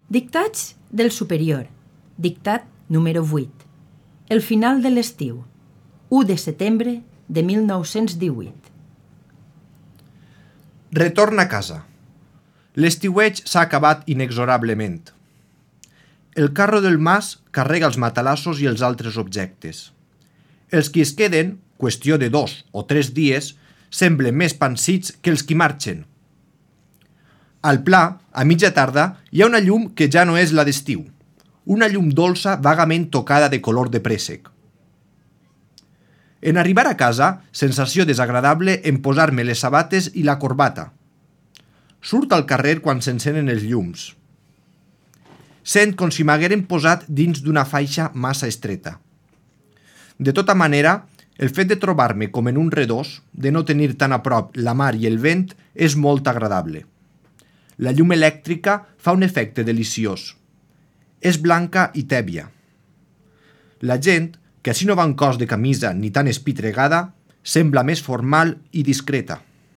Dictats del superior. Dictat número 8. El final de l'estiu. 1 de setembre de 1918. Retorn a casa. L'estiueig s'ha acabat inexorablement. El carro del mas carrega els matalassos i els altres objectes. Els qui es queden, qüestió de 2 o 3 dies, semblen més pansits que els qui marxen. Al pla, a mitja tarda, hi ha una llum que ja no és la d'estiu. Una llum dolça vagament tocada de color de préssec. En arribar a casa, sensació desagradable en posar-me les sabates i la corbata. Surt al carrer quan s'encenen els llums. Sent com si m'hagueren posat dins d'una faixa massa estreta. De tota manera, el fet de trobar-me com en un redós, de no tenir tan a prop la mar i el vent, és molt agradable. La llum elèctrica fa un efecte deliciós. És blanca i tèbia. La gent, que així no va en cos de camisa ni tan espitregada, sembla més formal i discreta.